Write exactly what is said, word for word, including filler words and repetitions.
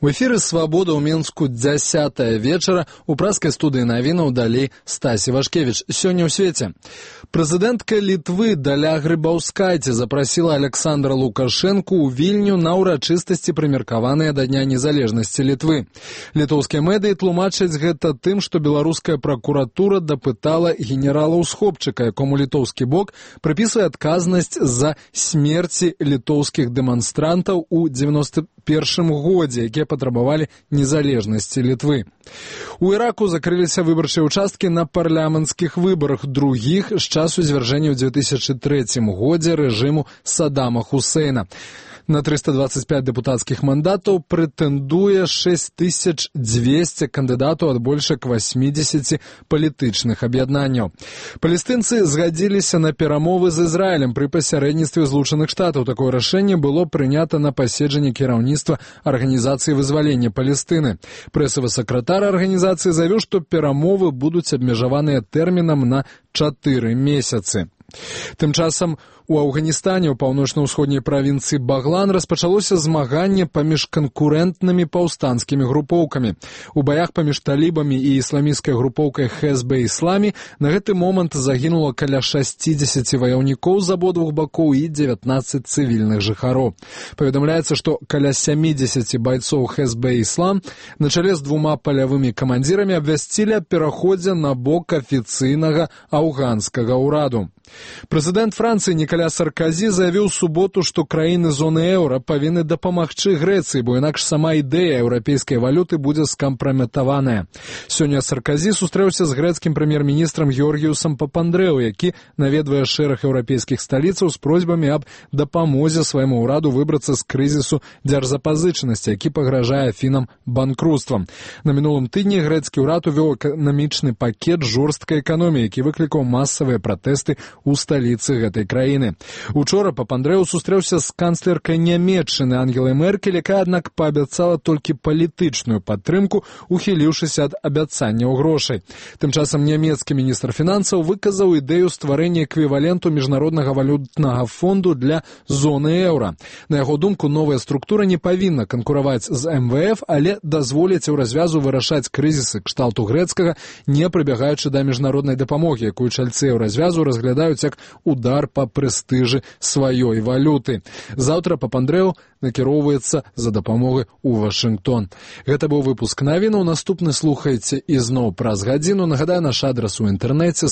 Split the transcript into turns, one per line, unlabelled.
У эфіры «Свабода» ў Мінску дзясятая вечара. У праскай студыі навінаў далей Стасі Вашкевіч. Сёння ў свеце. Прэзідэнтка Літвы Даля Грыбаўскайце запрасіла Александра Лукашэнку ў Вільню на ўрачыстасці, прымеркаваныя да Дня незалежнасці Літвы. Літоўскія медыі тлумачаць гэта тым, што беларуская пракуратура дапытала генерала Усхопчыка, якому літоўскі бок прыпісвае адказнасць за смерці літоўскіх дэманстрантаў у дзевяноста першым годзе, якія патрабавалі незалежнасці Літвы. У Іраку закрыліся выбарчыя ўчасткі на парламенцкіх выбарах, другіх з часу звяржэння ў дзве тысячы трэцім годзе рэжыму Саддама Хусейна. На трыста дваццаць пяць дэпутацкіх мандатаў прэтэндуе шэсць тысяч дзвесце кандыдатаў ад больш як васьмідзесяці палітычных аб'яднанняў. Палестынцы згадзіліся на перамовы з Ізраілем пры пасярэдніцтве Злучаных Штатаў. Такое рашэнне было прынята на паседжанні кіраўніцтва Арганізацыі вызвалення Палестыны. Прэсавы сакратар арганізацыі заявіў, што перамовы будуць абмежаваныя тэрмінам на чатыры месяцы. Тым часам у Афганістане, у паўночна-ўсходняй правінцыі Баглан, распачалося змаганне паміж канкурэнтнымі паўстанцкімі групоўкамі. У баях паміж талібамі і ісламісцкай групоўкай Хезбе-Ісламі на гэты момант загінула каля шасцідзесяці ваяўнікоў з абодвух бакоў і дзевятнаццаць цывільных жыхароў. Паведамляецца, што каля сямідзесяці байцоў Хезбе-Іслам на чале з двума палявымі камандзірамі абвясцілі аб пераходзе на бок афіцыйнага афганскага ўраду. Прэзідэнт Францыі Нікаля Сарказі заявіў у суботу, што краіны зоны еўра павінны дапамагчы Грэцыі, бо інакш сама ідэя еўрапейскай валюты будзе скампраметаваная. Сёння Сарказі сустрэўся з грэцкім прэм'ер-міністрам Георгіусам Папандрэу, які наведвае шэраг еўрапейскіх сталіцаў з просьбамі аб дапамозе свайму ўраду выбрацца з крызісу дзяржзапазычанасці, які пагражае фінам банкруцтвам. На мінулым тыдні грэцкі ўрад увёў эканамічны пакет жорсткай эканоміі, які выклікаў масавыя пратэсты у сталіцы гэтай краіны. Учора Папандрэу сустрэўся з канцлеркай Нямецчыны Ангелай Меркель, якая, аднак, паабяцала толькі палітычную падтрымку, ухіліўшыся ад абяцанняў грошай. Тым часам нямецкі міністр фінансаў выказаў ідэю стварэння эквіваленту міжнароднага валютнага фонду для зоны еўра. На яго думку, новая структура не павінна канкураваць з эм вэ эф, але дазволіць еўразвязу вырашаць крызісы кшталту грэцкага, не прыбягаючы да міжнароднай дапамогі, якую чальцы еўразвязу разглядаюць як удар па прэстыжы сваёй валюты. Заўтра Папандрэу накіроўваецца за дапамогай у Вашынгтон. Гэта быў выпуск навінаў. Наступны слухайце ізноў праз гадзіну. Нагадаю, наш адрас у інтэрнэце